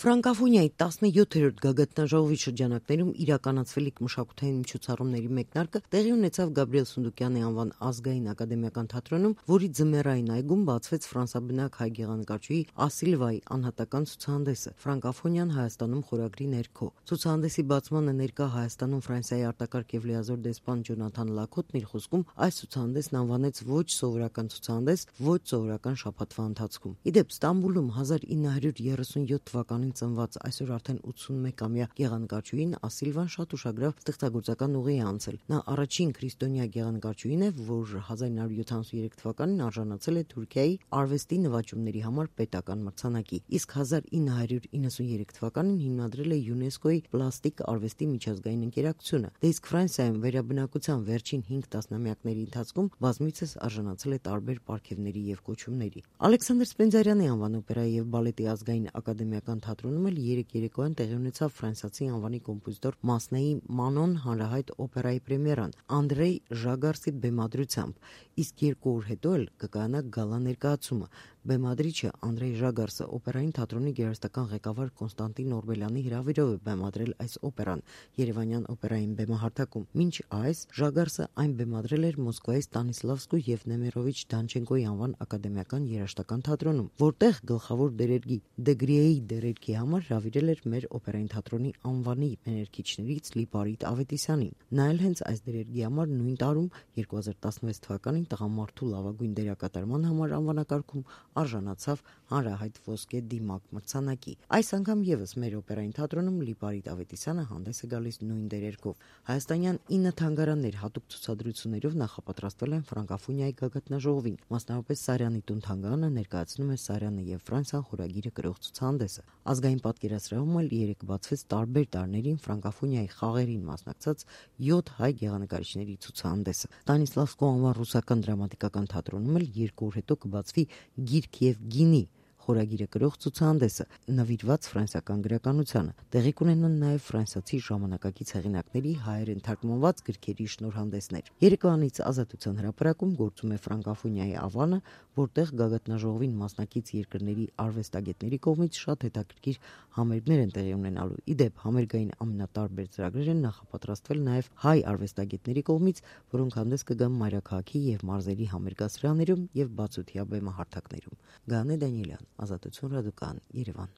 Ֆրանկաֆոնիայի 17-րդ գագաթնաժողովի շրջանակներում իրականացվելիք մշակութային միջոցառումների մեկնարկը տեղի ունեցավ Գաբրիել Սունդուկյանի անվան ազգային ակադեմիական թատրոնում, որի ձմեռային այգում բացվեց ֆրանսաբնակ հայ գեղանկարչուհի Ասիլվայի անհատական ցուցահանդեսը «Ֆրանկաֆոնիան Հայաստանում» խորագրի ներքո։ Ցուցահանդեսի բացմանը ներկա Հայաստանում Ֆրանսիայի արտակարգ եւ լիազոր դեսպան Ջոնաթան Լաքոթն իր խոսքում այս ցուցահանդեսն անվանեց ոչ սովորական ցուցահանդես, ոչ սովորական շաբաթվա ընթացքում։ Իդեպ Ստամբուլում 1937 թվականին ծնված այսօր արդեն 81-ամյա գեղանկարչուհին Ասիլվան շատ ուշագրավ ստեղծագործական ուղի է անցել։ Նա առաջին քրիստոնյա գեղանկարչուհին է, որ 1973 թվականին արժանացել է Թուրքիայի արվեստի նվաճումների համար պետական մրցանակի, իսկ 1993 թվականին հիմնադրել է ՅՈՒՆԵՍԿՕ-ի պլաստիկ արվեստի միջազգային ընկերակցությունը։ Դե իսկ Ֆրանսիայում վերաբնակության վերջին 5 տասնամյակների ընթացքում բազմիցս արժանացել է տարբեր պարգևների եւ կոչումների։ Ալեքսանդր Սպենդիարյանի անվան օպերայի եւ բալետի ազգային ակադեմիական թատրոնում էլ երեկոյան տեղի ունեցավ ֆրանսիացի անվանի կոմպոզիտոր Մասնեի Մանոն հանրահայտ օպերայի պրեմիերան Անդրեյ Ժագարսի բեմադրությամբ, իսկ 2 օր հետո էլ կկայանա գալա ներկայացումը։ Բեմադրիչը Անդրեյ Ժագարսը օպերային թատրոնի գերաստական ղեկավար Կոնստանտին Օրբելյանի հրավերով է բեմադրել այս օպերան Երևանյան օպերային բեմահարթակում։ Մինչ այս Ժագարսը այն բեմադրել էր Մոսկվայի Ստանիսլավսկու եւ Նեմիրովիչ Դանչենկոյի անվան ակադեմիական երաժշտական թատրոնում, որտեղ գլխավոր դերերգի Դեգրիեի դերերգի համար հրավիրել էր մեր օպերային թատրոնի անվանի մեներքիչներից Լիպարիտ Ավետիսյանին։ Նա էլ հենց այս դերերգի համար նույն տարում 2016 թվականին տղամարդու լավագույն դերակատարման համար անվանակարգում արժանացավ հանրահայտ ոսկե դիմակ մրցանակի։ Այս անգամ եւս մեր օպերային թատրոնում Լիպարիտ Ավետիսյանը հանդես է գալիս նույն դերերգով։ Հայաստանյան 9 թանգարաններ հատուկ ցուցադրություններով նախապատրաստվել են Ֆրանկաֆոնիայի գագաթնաժողովին։ Մասնավորապես Սարյանի տուն թանգարանը ներկայացնում է Սարյանը եւ Ֆրանսիան խորագիրը կրող ցուցահանդեսը։ Ազգային պատկերասրահում էլ երեկ բացվեց տարբեր տարիներին Ֆրանկաֆոնիայի խաղերին մասնակցած 7 հայ գեղանկարիչների ցուցահանդեսը։ Ստանիսլավսկու անվան ռուսական դրամատիկական թատրոնում էլ 2 օր հետո կբացվի Գիրք եւ գինի խորագիրը կրող ցուցահանդեսը, նվիրված ֆրանսիական գրականությանը։ Տեղի կունենան նաև ֆրանսիացի ժամանակակից հեղինակների հայերեն թարգմանված գրքերի շնորհանդեսներ։ Երեկոյանից Ազատության հրապարակում գործում է Ֆրանկաֆոնիայի ավանը, որտեղ գագաթնաժողովին մասնակից երկրների արվեստագետների կողմից շատ հետաքրքիր համերգներ են տեղի ունենալու։ Իդեպ համերգային ամենատարբեր ծրագրեր են նախապատրաստվել նաև հայ արվեստագետների կողմից, որոնք հանդես կգան մայրաքաղաքի եւ մարզերի համերգասրահներում եւ բացօթյա բեմահարթակներում։ Գաներ Դանիելյան, Ազատություն ռադիոկայան, Երևան։